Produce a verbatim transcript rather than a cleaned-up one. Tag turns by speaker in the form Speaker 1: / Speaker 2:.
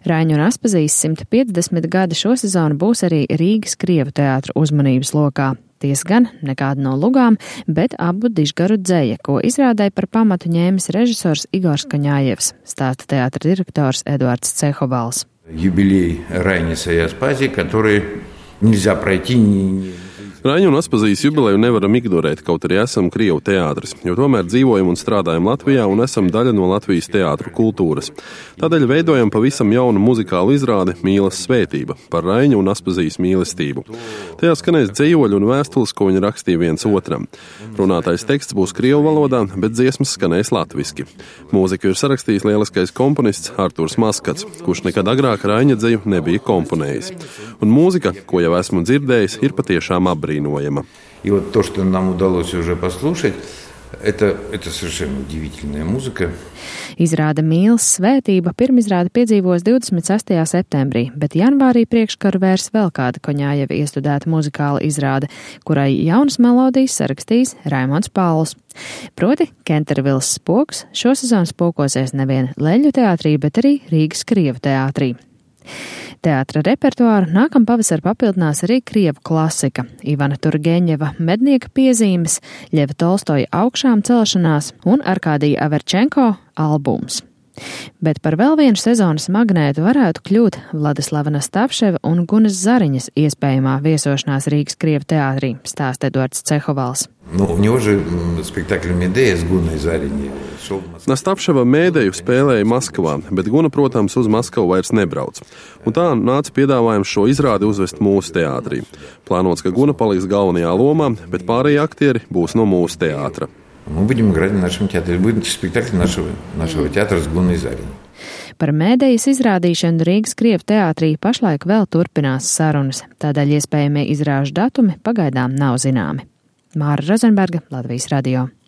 Speaker 1: Raiņu un Aspazijas simt piecdesmit gadi šo sezonu būs arī Rīgas Krievu teātra uzmanības lokā. Ties gan nekāda no lugām, bet abu dižgaru dzeja, ko izrādē par pamatu ņēmis režisors Igors Kaņājevs, stāsta teātra direktors Eduards Cehovals.
Speaker 2: Юбилей Райниса и Аспазии, который нельзя пройти ни...
Speaker 3: Raiņu un Aspazijas jubileju nevaram ignorēt, kaut arī esam Krievu teātris, jo tomēr dzīvojam un strādājam Latvijā un esam daļa no Latvijas teātru kultūras. Tādēļ veidojam pavisam jaunu muzikālu izrādi Mīlas svētība par Raiņu un Aspazijas mīlestību. Tajā skanēs dzejoļi un vēstules, ko viņi rakstīja viens otram. Runātais teksts būs krievu valodā, bet dziesmas skanēs latviski. Mūziku ir sarakstījis lieliskais komponists Arturs Maskats, kurš nekad agrāk Raiņa dzeju nebija komponējis. Un mūzika, ko jau esmu dzirdējis, ir patiešām apbrīnojama.
Speaker 2: И вот то, что нам удалось уже послушать, это, это совершенно удивительная музыка.
Speaker 1: Izrāda Mīlas svētība pirmizrāde piedzīvos divdesmit sestajā septembrī, bet janvārī priekškaru vērs vēl kāda Kaņājeva iestudēta muzikāla izrāde, kurai jaunas melodijas sarakstīs Raimonds Pauls. Proti, Kentervilas spoks šosezon spokosies nevien Leļu teātrī, bet arī Rīgas Krievu teātrī. Teātra repertuāru nākam pavasar papildinās arī krievu klasika, Ivana Turgeņeva mednieka piezīmes, Ļeva Tolstoja augšām celšanās un Arkādija Averčenko albums. Bet par vēl vienu sezonas magnētu varētu kļūt Vladislava Nastavševa un Gunas Zariņas iespējamā viesošanās Rīgas Krievu teātrī, stāsta Eduards Cehovals.
Speaker 2: Nu, у него же спектакль Медея с Гуной Зариņai.
Speaker 3: Nastavševa Mēdeju spēlēja Maskavā, bet Guna, protams, uz Maskavu vairs nebrauc. Un tā nāca piedāvājums šo izrādi uzvest mūsu teātrī. Plānots, ka Guna paliks galvenajā lomā, bet pārējie aktieri būs no mūsu teātra.
Speaker 2: Мы будем играть в нашем театре. Будет спектакль нашего, нашего театра с Гуной Зариņai.
Speaker 1: Par Mēdejas izrādīšanu Rīgas Krievu teātrī pašlaik vēl turpinās sarunas, tādēļ iespējamie izrāžu datumi pagaidām nav zināmi. Māra Rozenberga, Latvijas radio.